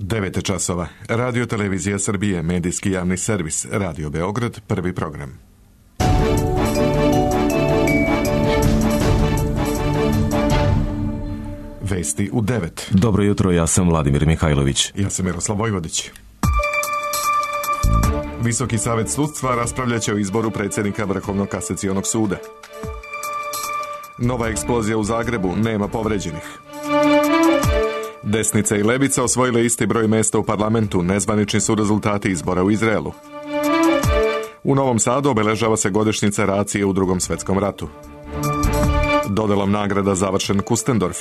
9 časova. Radio Televizija Srbije, medijski javni servis, Radio Beograd, prvi program. Vesti u 9. Dobro jutro, ja sam Vladimir Mihajlović. Ja sam Miroslav Vojvodić. Visoki savet sudstva raspravljaće o izboru predsjednika Vrhovnog kasacionog suda. Nova eksplozija u Zagrebu, nema povređenih. Desnica i levica osvojile isti broj mjesta u parlamentu, nezvanični su rezultati izbora u Izraelu. U Novom Sadu obeležava se godišnjica racije u Drugom svjetskom ratu. Dodelom nagrada završen Kustendorf.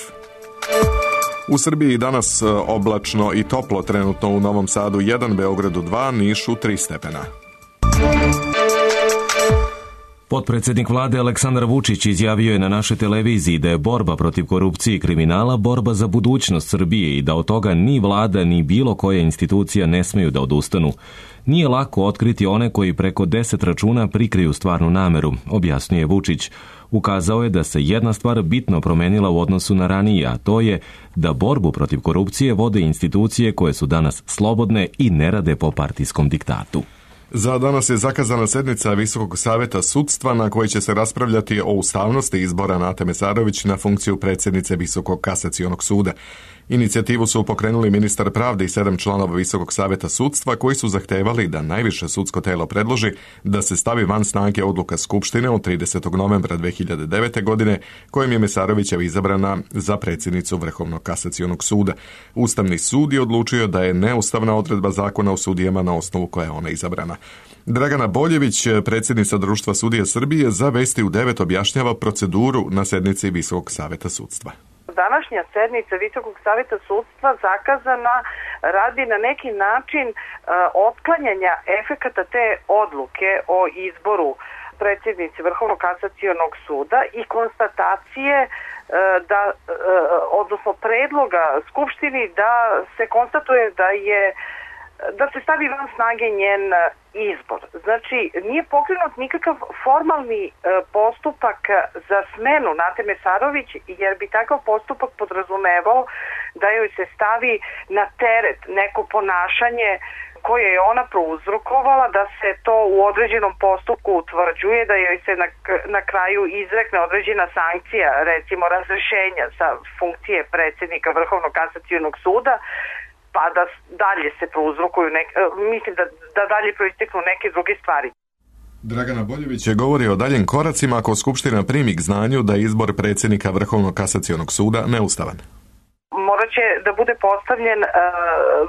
U Srbiji danas oblačno i toplo, trenutno u Novom Sadu 1, Beogradu 2, Nišu 3 stepena. Potpredsjednik vlade Aleksandar Vučić izjavio je na našoj televiziji da je borba protiv korupcije i kriminala borba za budućnost Srbije i da od toga ni vlada ni bilo koja institucija ne smeju da odustanu. Nije lako otkriti one koji preko 10 računa prikriju stvarnu nameru, objasnio Vučić. Ukazao je da se jedna stvar bitno promenila u odnosu na ranije, a to je da borbu protiv korupcije vode institucije koje su danas slobodne i ne rade po partijskom diktatu. Za danas je zakazana sednica Visokog saveta sudstva na kojoj će se raspravljati o ustavnosti izbora Nate Mesarović na funkciju predsjednice Visokog kasacionog suda. Inicijativu su pokrenuli ministar pravde i 7 članova Visokog saveta sudstva koji su zahtevali da najviše sudsko telo predloži da se stavi van snage odluka Skupštine od 30. novembra 2009. godine kojim je Mesarovićeva izabrana za predsjednicu Vrhovnog kasacionog suda. Ustavni sud je odlučio da je neustavna odredba zakona o sudijama na osnovu koje je ona izabrana. Dragana Boljević, predsjednica Društva sudija Srbije, za Vesti u 9 objašnjava proceduru na sednici Visokog saveta sudstva. Današnja sednica Visokog saveta sudstva zakazana radi na neki način otklanjanja efekata te odluke o izboru predsjednice Vrhovnog kasacionog suda i konstatacije odnosno predloga Skupštini da se konstatuje da se stavi van snage njen izbor. Znači, nije pokrenut nikakav formalni postupak za smenu Nate Mesarović, jer bi takav postupak podrazumevao da joj se stavi na teret neko ponašanje koje je ona prouzrokovala, da se to u određenom postupku utvrđuje, da joj se na kraju izrekne određena sankcija, recimo razrešenja sa funkcije predsjednika Vrhovnog kasacionog suda, pa da dalje se prouzrokuju, mislim da dalje proisteknu neke druge stvari. Dragana Boljević je govori o daljim koracima ako Skupština primi k znanju da je izbor predsjednika Vrhovnog kasacionog suda neustavan. Morat će da bude postavljen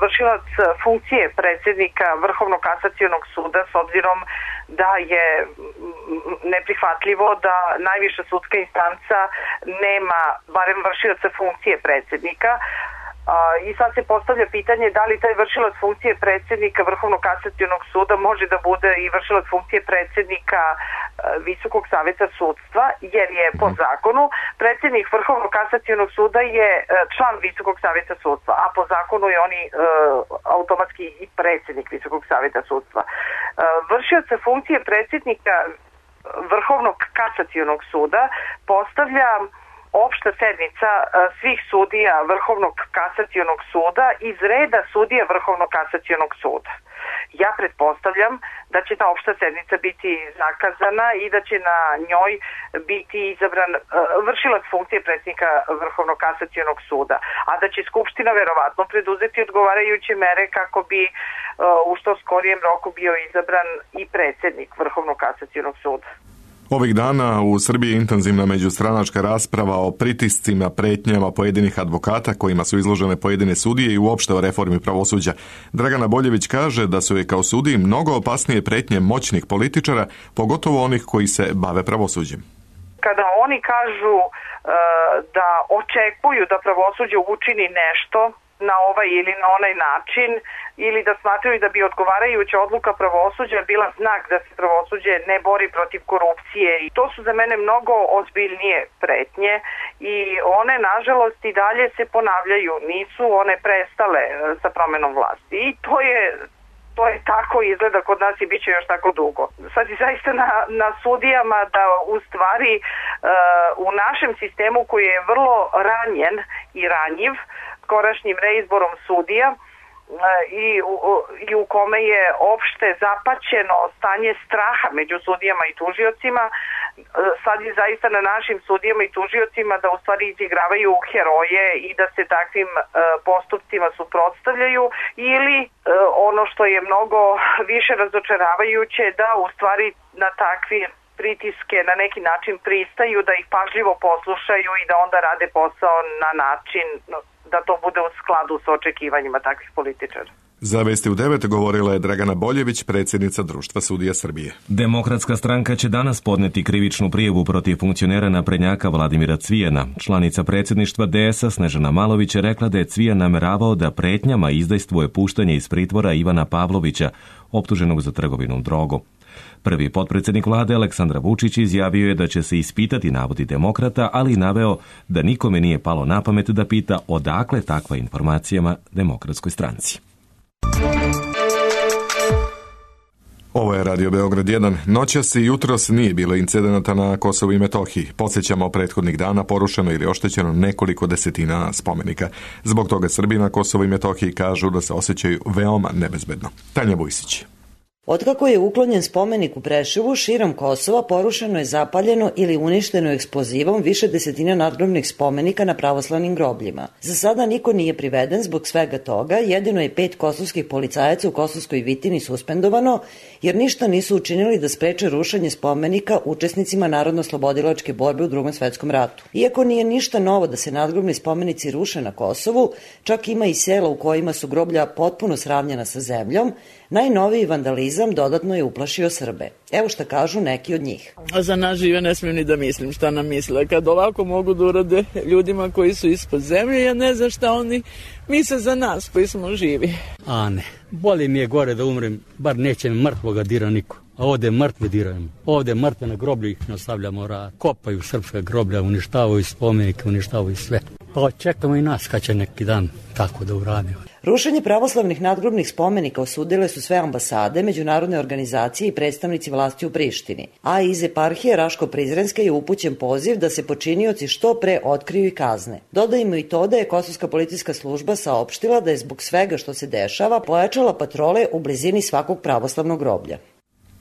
vršilac funkcije predsjednika Vrhovnog kasacionog suda, s obzirom da je neprihvatljivo da najviša sudska instanca nema barem vršilaca funkcije predsjednika. I sad se postavlja pitanje da li taj vršilac funkcije predsjednika Vrhovnog kasacionog suda može da bude i vršilac funkcije predsjednika Visokog saveta sudstva, jer je po zakonu predsjednik Vrhovnog kasacionog suda je član Visokog saveta sudstva, a po zakonu je on automatski i predsjednik Visokog saveta sudstva. Vršilac funkcije predsjednika Vrhovnog kasacionog suda postavlja opšta sednica svih sudija Vrhovnog kasacionog suda iz reda sudija Vrhovnog kasacionog suda. Ja pretpostavljam da će ta opšta sednica biti zakazana i da će na njoj biti izabran vršilac funkcije predsjednika Vrhovnog kasacionog suda, a da će Skupština verovatno preduzeti odgovarajuće mere kako bi u što skorijem roku bio izabran i predsjednik Vrhovnog kasacionog suda. Ovih dana u Srbiji je intenzivna međustranačka rasprava o pritiscima, pretnjama pojedinih advokata kojima su izložene pojedine sudije i uopšte o reformi pravosuđa. Dragana Boljević kaže da su je kao sudiji mnogo opasnije pretnje moćnih političara, pogotovo onih koji se bave pravosuđem. Kada oni kažu da očekuju da pravosuđe učini nešto na ovaj ili na onaj način, ili da smatraju da bi odgovarajuća odluka pravosuđa bila znak da se pravosuđe ne bori protiv korupcije. I to su za mene mnogo ozbiljnije pretnje i one, nažalost, i dalje se ponavljaju. Nisu one prestale sa promenom vlasti. I to je tako, izgleda kod nas i bit će još tako dugo. Sad je zaista na sudijama da u stvari u našem sistemu koji je vrlo ranjen i ranjiv skorašnjim reizborom sudija, i u kome je opšte zapaćeno stanje straha među sudijama i tužiocima. Sad je zaista na našim sudijama i tužiocima da u stvari izigravaju heroje i da se takvim postupcima suprotstavljaju, ili ono što je mnogo više razočaravajuće, da u stvari na takvi pritiske na neki način pristaju, da ih pažljivo poslušaju i da onda rade posao na način da to bude u skladu s očekivanjima takvih političara. Za Vesti u 9 govorila je Dragana Boljević, predsjednica Društva sudija Srbije. Demokratska stranka će danas podneti krivičnu prijavu protiv funkcionera naprednjaka Vladimira Cvijana. Članica predsjedništva DS-a Snežana Malović je rekla da je Cvijan nameravao da pretnjama izdejstvuje puštanje iz pritvora Ivana Pavlovića, optuženog za trgovinu drogom. Prvi potpredsjednik vlade Aleksandar Vučić izjavio je da će se ispitati navodi demokrata, ali naveo da nikome nije palo na pamet da pita odakle takva informacijama Demokratskoj stranci. Ovo je Radio Beograd 1. Noćas i jutros nije bilo incidenata na Kosovu i Metohiji. Podsjećamo, prethodnih dana porušeno ili oštećeno nekoliko desetina spomenika. Zbog toga Srbi na Kosovu i Metohiji kažu da se osjećaju veoma nebezbedno. Tanja Vujsić. Otkako je uklonjen spomenik u Preševu, širom Kosova porušeno je, zapaljeno ili uništeno eksplozivom više desetina nadgrobnih spomenika na pravoslavnim grobljima. Za sada niko nije priveden zbog svega toga, jedino je 5 kosovskih policajaca u Kosovskoj Vitini suspendovano, jer ništa nisu učinili da spreče rušenje spomenika učesnicima narodno-slobodilačke borbe u Drugom svetskom ratu. Iako nije ništa novo da se nadgrobni spomenici ruše na Kosovu, čak ima i sela u kojima su groblja potpuno sravnjena sa zemljom, najnoviji vandalizam dodatno je uplašio Srbe. Evo šta kažu neki od njih. A za nas žive ne smijem ni da mislim šta nam misle. Kad ovako mogu da urade ljudima koji su ispod zemlje, ja ne znam šta oni misle za nas koji smo živi. A ne, bolje mi je gore da umrem, bar neće mrtvoga dira niko. A ovde mrtve dirajemo. Ovde mrtve na groblju ih ne ostavljamo rad. Kopaju srpska groblja, uništavaju spomenike, uništavaju sve. Pa čekamo i nas kad će neki dan tako da uradimo. Rušenje pravoslavnih nadgrobnih spomenika osudile su sve ambasade, međunarodne organizacije i predstavnici vlasti u Prištini. A iz eparhije Raško-Prizrenske je upućen poziv da se počinioci što pre otkriju i kazne. Dodajmo i to da je Kosovska policijska služba saopštila da je zbog svega što se dešava pojačala patrole u blizini svakog pravoslavnog groblja.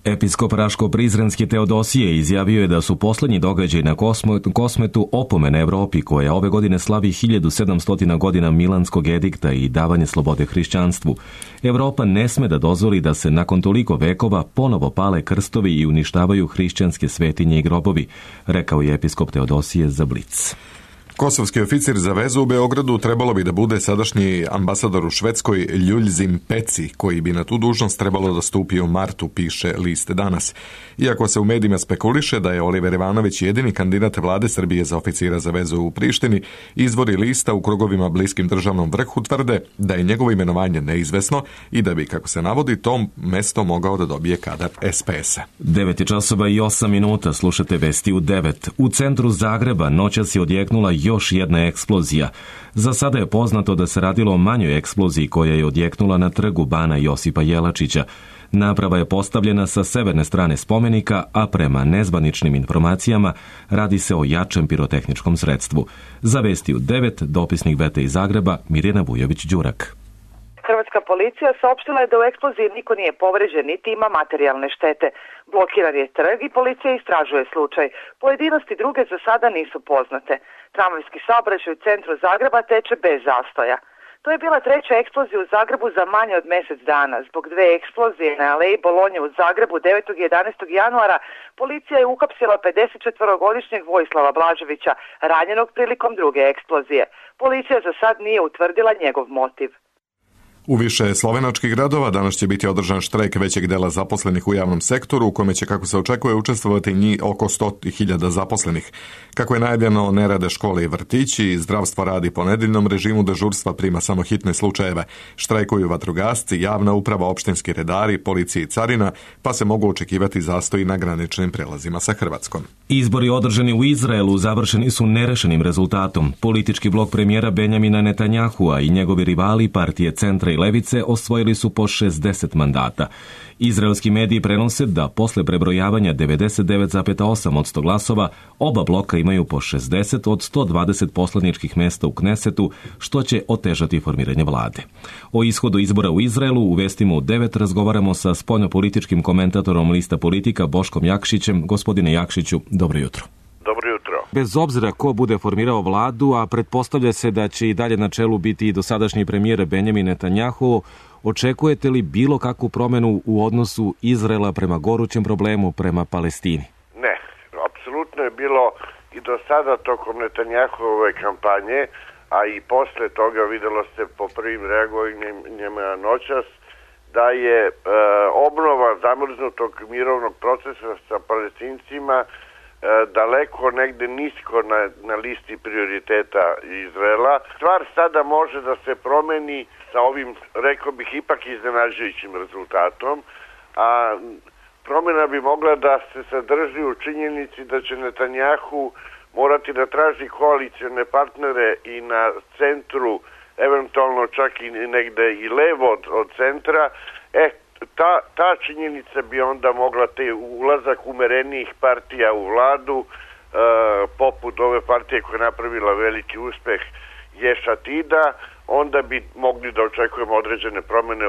Episkop Raško-Prizrenski Teodosije izjavio je da su poslednji događaj na Kosmetu opomene Evropi, koja ove godine slavi 1700 godina Milanskog edikta i davanje slobode hrišćanstvu. Evropa ne sme da dozvoli da se nakon toliko vekova ponovo pale krstovi i uništavaju hrišćanske svetinje i grobovi, rekao je episkop Teodosije za Blic. Kosovski oficir za vezu u Beogradu trebalo bi da bude sadašnji ambasador u Švedskoj Ljuljzim Peci, koji bi na tu dužnost trebalo da stupi u martu, piše list Danas. Iako se u medijima spekuliše da je Oliver Ivanović jedini kandidat vlade Srbije za oficira za vezu u Prištini, izvori lista u krugovima bliskim državnom vrhu tvrde da je njegovo imenovanje neizvesno i da bi, kako se navodi, to mesto mogao da dobije kadar SPS-a. 9:08, slušate Vesti u 9. U centru Zagreba noćas je odjeknula još jedna eksplozija. Za sada je poznato da se radilo o manjoj eksploziji koja je odjeknula na trgu Bana Josipa Jelačića. Naprava je postavljena sa severne strane spomenika, a prema nezvaničnim informacijama radi se o jačem pirotehničkom sredstvu. Za Vesti u 9, dopisnik Vete iz Zagreba, Mirjana Vujović-Đurak. Hrvatska policija saopštila je da u eksploziji niko nije povređen niti ima materijalne štete. Blokiran je trg i policija istražuje slučaj. Pojedinosti druge za sada nisu poznate. Tramvajski saobraćaj u centru Zagreba teče bez zastoja. To je bila treća eksplozija u Zagrebu za manje od mjesec dana. Zbog 2 eksplozije na aleji Bolonje u Zagrebu 9. i 11. januara policija je uhapsila 54-godišnjeg Vojislava Blaževića, ranjenog prilikom druge eksplozije. Policija za sad nije utvrdila njegov motiv. U više slovenačkih gradova danas će biti održan štrajk većeg dela zaposlenih u javnom sektoru, u kome će, kako se očekuje, učestvovati njih oko 100.000 zaposlenih. Kako je najavljeno, ne rade škole i vrtići, zdravstvo radi po nedeljnom režimu, dežurstva prima samo hitne slučajeve. Štrajkuju vatrogasci, javna uprava, opštinski redari, policija i carina, pa se mogu očekivati zastoji na graničnim prelazima sa Hrvatskom. Izbori održani u Izraelu završeni su nerešenim rezultatom. Politički blok premijera Benjamina Netanjahua i njegovi rivali partije Centra i levice osvojili su po 60 mandata. Izraelski mediji prenose da posle prebrojavanja 99,8% glasova oba bloka imaju po 60 od 120 poslaničkih mesta u Knesetu, što će otežati formiranje vlade. O ishodu izbora u Izraelu u Vestima u 9 razgovaramo sa spoljnopolitičkim komentatorom Lista Politika Boškom Jakšićem. Gospodine Jakšiću, dobro jutro. Dobro jutro. Bez obzira ko bude formirao vladu, a pretpostavlja se da će i dalje na čelu biti i dosadašnji premijer Benjamin Netanjahu, očekujete li bilo kakvu promenu u odnosu Izraela prema gorućem problemu, prema Palestini? Ne, apsolutno je bilo i do sada tokom Netanjahove kampanje, a i posle toga videlo se po prvim reagovanjima noćas, da je obnova zamrznutog mirovnog procesa sa Palestincima daleko negde nisko na listi prioriteta Izraela. Stvar sada može da se promeni sa ovim, rekao bih, ipak iznenađujućim rezultatom, a promjena bi mogla da se sadrži u činjenici da će Netanjahu morati da traži koalicione partnere i na centru, eventualno čak i negde i levo od centra. Ta činjenica bi onda mogla te ulazak umerenijih partija u vladu, poput ove partije koja je napravila veliki uspeh Ješ Atida, onda bi mogli da očekujemo određene promjene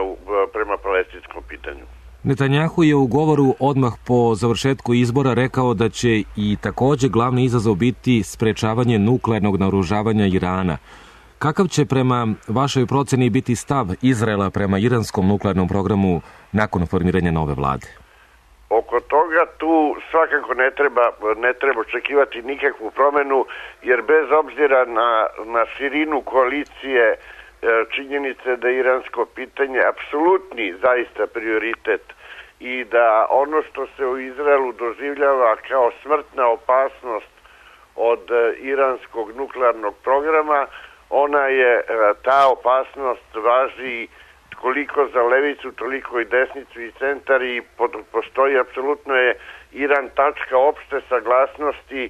prema palestinskom pitanju. Netanjahu je u govoru odmah po završetku izbora rekao da će i također glavni izazov biti sprečavanje nuklearnog naoružavanja Irana. Kakav će prema vašoj proceni biti stav Izraela prema iranskom nuklearnom programu nakon formiranja nove vlade? Oko toga tu svakako ne treba očekivati nikakvu promjenu, jer bez obzira na širinu koalicije, činjenice da je iransko pitanje apsolutni zaista prioritet i da ono što se u Izraelu doživljava kao smrtna opasnost od iranskog nuklearnog programa, ta opasnost važi koliko za levicu, toliko i desnicu i centar, i postoji apsolutno je Iran tačka opšte saglasnosti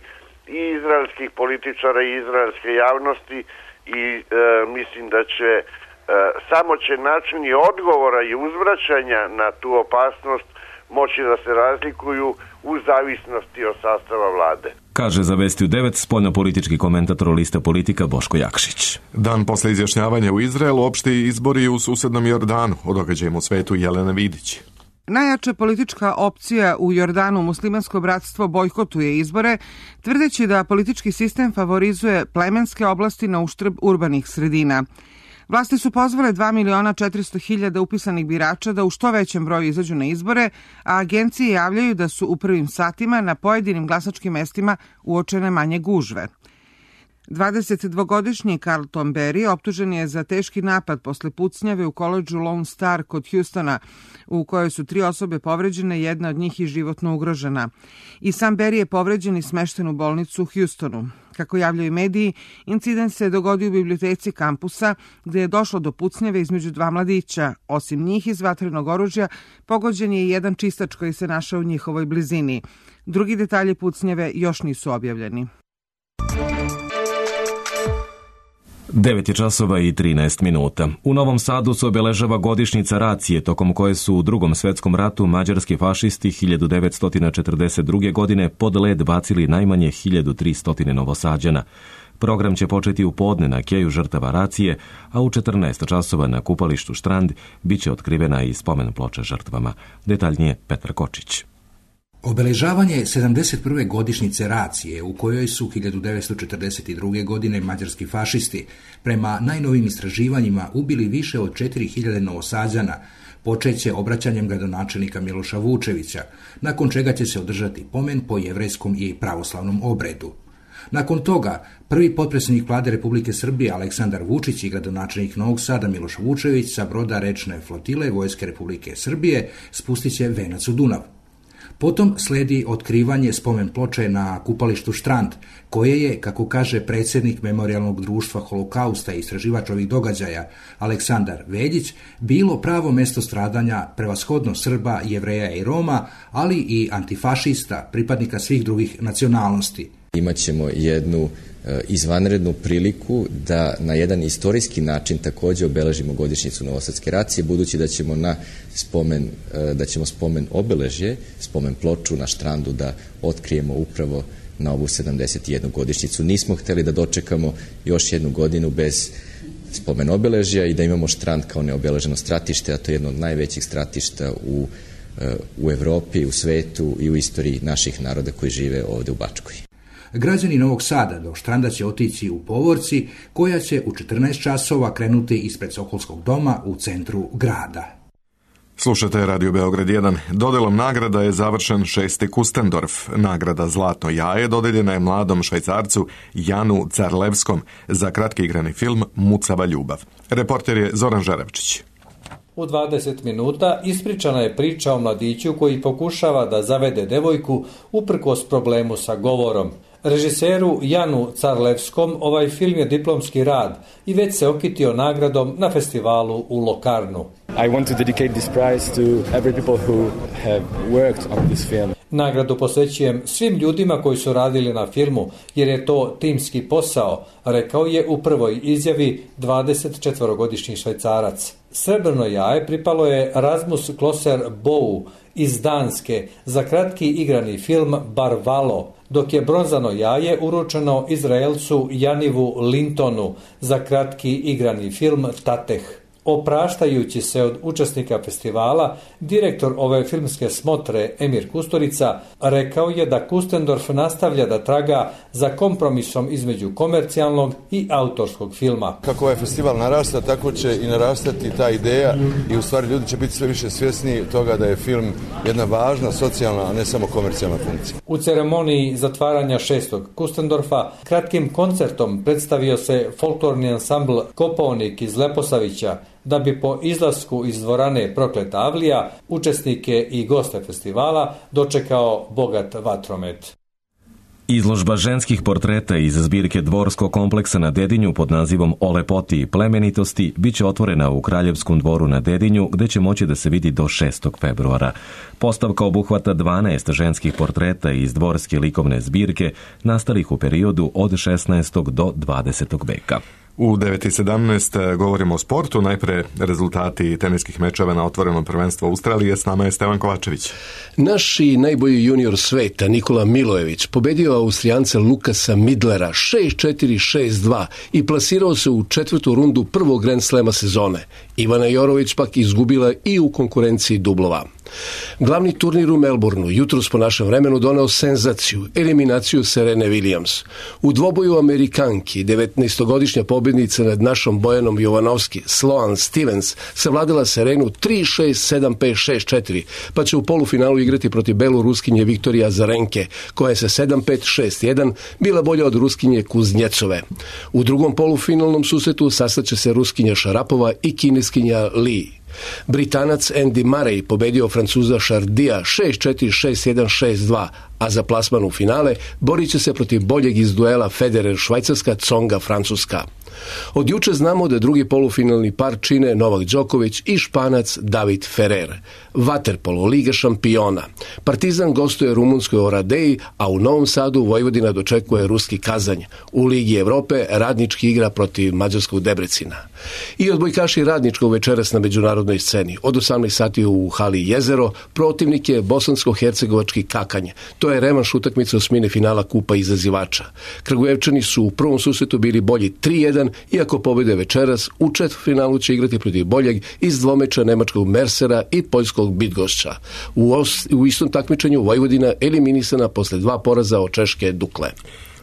i izraelskih političara i izraelske javnosti, i mislim da samo će načini odgovora i uzvraćanja na tu opasnost moći da se razlikuju u zavisnosti od sastava vlade. Kaže za Vesti u 9 spoljnopolitički komentator Lista Politika Boško Jakšić. Dan posle izjašnjavanja u Izraelu, opšti izbori u susednom Jordanu. O događajima u svetu Jelena Vidić. Najjača politička opcija u Jordanu, Muslimansko bratstvo, bojkotuje izbore, tvrdeći da politički sistem favorizuje plemenske oblasti na uštrb urbanih sredina. Vlasti su pozvale 2.400.000 upisanih birača da u što većem broju izađu na izbore, a agencije javljaju da su u prvim satima na pojedinim glasačkim mestima uočene manje gužve. 22-godišnji Carlton Berry optužen je za teški napad posle pucnjave u koledžu Lone Star kod Houstona, u kojoj su 3 osobe povređene, jedna od njih i životno ugrožena. I sam Berry je povređen i smešten u bolnicu u Houstonu. Kako javljaju mediji, incident se dogodio u biblioteci kampusa, gde je došlo do pucnjave između 2 mladića. Osim njih iz vatrenog oružja, pogođen je i jedan čistač koji se našao u njihovoj blizini. Drugi detalji pucnjave još nisu objavljeni. 9:13. U Novom Sadu se obeležava godišnjica racije, tokom koje su u Drugom svetskom ratu mađarski fašisti 1942. godine pod led bacili najmanje 1300 Novosađana. Program će početi u podne na keju žrtava racije, a u 14 časova na kupalištu Štrand biće otkrivena i spomen ploča žrtvama. Detaljnije Petar Kočić. Obeležavanje 71. godišnjice racije, u kojoj su 1942. godine mađarski fašisti prema najnovim istraživanjima ubili više od 4000 Novosađana, počeće obraćanjem gradonačelnika Miloša Vučevića, nakon čega će se održati pomen po jevrejskom i pravoslavnom obredu. Nakon toga, prvi potpredsjednik vlade Republike Srbije Aleksandar Vučić i gradonačelnik Novog Sada Miloš Vučević sa broda rečne flotile Vojske Republike Srbije spustit će venac u Dunav. Potom sledi otkrivanje spomen ploče na kupalištu Štrand, koje je, kako kaže predsjednik Memorijalnog društva Holokausta i istraživač ovih događaja Aleksandar Veljić, bilo pravo mesto stradanja prevashodno Srba, Jevreja i Roma, ali i antifašista, pripadnika svih drugih nacionalnosti. Imaćemo jednu izvanrednu priliku da na jedan istorijski način također obeležimo godišnjicu Novosadske racije, budući da ćemo spomen obeležje, spomen ploču na Štrandu da otkrijemo upravo na ovu 71. godišnjicu. Nismo htjeli da dočekamo još jednu godinu bez spomen obeležja i da imamo Štrand kao neobeleženo stratište, a to je jedno od najvećih stratišta u Evropi, u svetu i u istoriji naših naroda koji žive ovdje u Bačkoj. Građani Novog Sada do Štranda će otići u povorci koja će u 14 časova krenuti ispred Sokolskog doma u centru grada. Slušate Radio Beograd 1. Dodelom nagrada je završen 6. Kustendorf. Nagrada Zlatno jaje dodeljena je mladom Švajcarcu Janu Carlevskom za kratki igrani film Mucava ljubav. Reporter je Zoran Žerevčić. U 20 minuta ispričana je priča o mladiću koji pokušava da zavede devojku uprkos problemu sa govorom. Režiseru Janu Carlevskom ovaj film je diplomski rad i već se okitio nagradom na festivalu u Lokarnu. I want to dedicate this prize to every people who have worked on this film. Nagradu posvećujem svim ljudima koji su radili na filmu, jer je to timski posao, rekao je u prvoj izjavi 24-godišnji Švajcarac. Srebrno jaje pripalo je Rasmus Klosser Bou iz Danske za kratki igrani film Barvalo, dok je bronzano jaje uručeno Izraelcu Janivu Lintonu za kratki igrani film Tateh. Opraštajući se od učesnika festivala, direktor ove filmske smotre Emir Kusturica rekao je da Kustendorf nastavlja da traga za kompromisom između komercijalnog i autorskog filma. Kako ovaj festival narasta, tako će i narastati ta ideja i u stvari ljudi će biti sve više svjesni toga da je film jedna važna socijalna, a ne samo komercijalna funkcija. U ceremoniji zatvaranja 6. Kustendorfa kratkim koncertom predstavio se folklorni ansambl Kopaonik iz Leposavića, da bi po izlasku iz dvorane Prokleta Avlija učesnike i goste festivala dočekao bogat vatromet. Izložba ženskih portreta iz zbirke Dvorskog kompleksa na Dedinju pod nazivom O lepoti i plemenitosti biće otvorena u Kraljevskom dvoru na Dedinju, gde će moći da se vidi do 6. februara. Postavka obuhvata 12 ženskih portreta iz dvorske likovne zbirke nastalih u periodu od 16. do 20. veka. U 9.17 govorimo o sportu. Najpre rezultati teniskih mečeva na otvorenom prvenstvu Australije. S nama je Stevan Kovačević. Naši najbolji junior sveta Nikola Milojević pobedio Austrijanca Lukasa Midlera 6-4, 6-2 i plasirao se u 4. rundu prvog Grand Slema sezone. Ivana Jorović pak izgubila i u konkurenciji dublova. Glavni turnir u Melbourneu jutros po našem vremenu doneo senzaciju, eliminaciju Serene Williams. U dvoboju Amerikanki 19-godišnja pobjednica nad našom Bojanom Jovanovski, Sloane Stevens, savladala Serenu 3-6, 7-5, 6-4, pa će u polufinalu igrati protiv beloruskinje Viktorija Azarenke, koja je sa 7-5, 6-1 bila bolja od Ruskinje Kuznjecove. U drugom polufinalnom susretu sastaće se Ruskinja Šarapova i Kineskinja Li. Britanac Andy Murray pobedio Francuza Šardija 6-4, 6-1, 6-2, a za plasman u finale borit će se protiv boljeg iz duela Federer Švajcarska, Tsonga Francuska. Od juče znamo da drugi polufinalni par čine Novak Đoković i Španac David Ferrer. Vaterpolo, Liga šampiona. Partizan gostuje rumunskoj Oradeji, a u Novom Sadu Vojvodina dočekuje ruski Kazanj. U Ligi Evrope Radnički igra protiv mađarskog Debrecina. I odbojkaši Radničkog večeras na međunarodnoj sceni. Od 18 sati u hali Jezero protivnik je bosansko-hercegovački Kakanj. To je revanš utakmice osmine finala Kupa izazivača. Kragujevčani su u prvom susretu bili bolji 3-1, iako pobede večeras u četvrtfinalu će igrati protiv boljeg iz dvomeča nemačkog Mersera i poljskog Bydgoszcza. U istom takmičenju Vojvodina eliminisana posle 2 poraza od češke Dukle.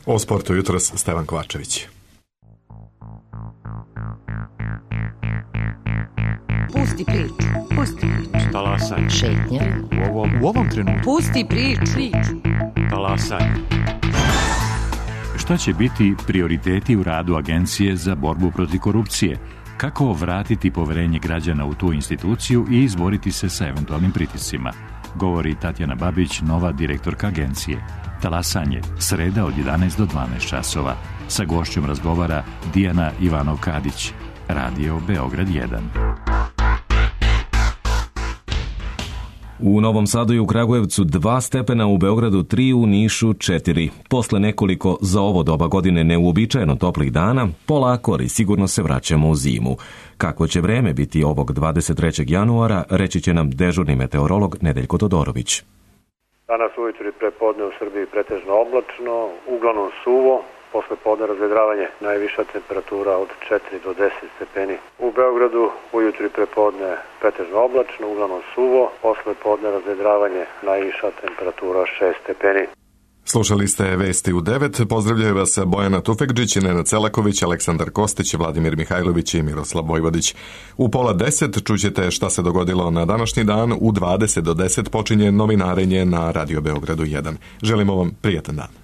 O sportu jutros Stevan Kovačević. Pusti priču. Pusti priču. Talasaj. Šetnja. U ovom trenutku. Pusti priču. Talasaj. Šta će biti prioriteti u radu Agencije za borbu protiv korupcije? Kako vratiti poverenje građana u tu instituciju i izboriti se sa eventualnim pritiscima? Govori Tatjana Babić, nova direktorka agencije. Talasanje, sreda od 11 do 12 časova. Sa gošćom razgovara Dijana Ivanov-Kadić. Radio Beograd 1. U Novom Sadu i u Kragujevcu 2 stepena, u Beogradu 3, u Nišu 4. Posle nekoliko za ovo doba godine neuobičajeno toplih dana, polako ali sigurno se vraćamo u zimu. Kako će vreme biti ovog 23. januara, reći će nam dežurni meteorolog Nedeljko Todorović. Danas ujutru i prepodne u Srbiji pretežno oblačno, uglavnom suvo, posle podne razvedravanje, najviša temperatura od 4 do 10 stepeni. U Beogradu ujutru i prepodne pretežno oblačno, uglavnom suvo, posle podne razvedravanje, najviša temperatura 6 stepeni. Slušali ste Vesti u 9. Pozdravljaju vas Bojana Tufekđić, Nenad Celaković, Aleksandar Kostić, Vladimir Mihajlović i Miroslav Vojvodić. U 9:30 čućete šta se dogodilo na današnji dan. U 20 do 10 počinje novinarenje na Radio Beogradu 1. Želimo vam prijatan dan.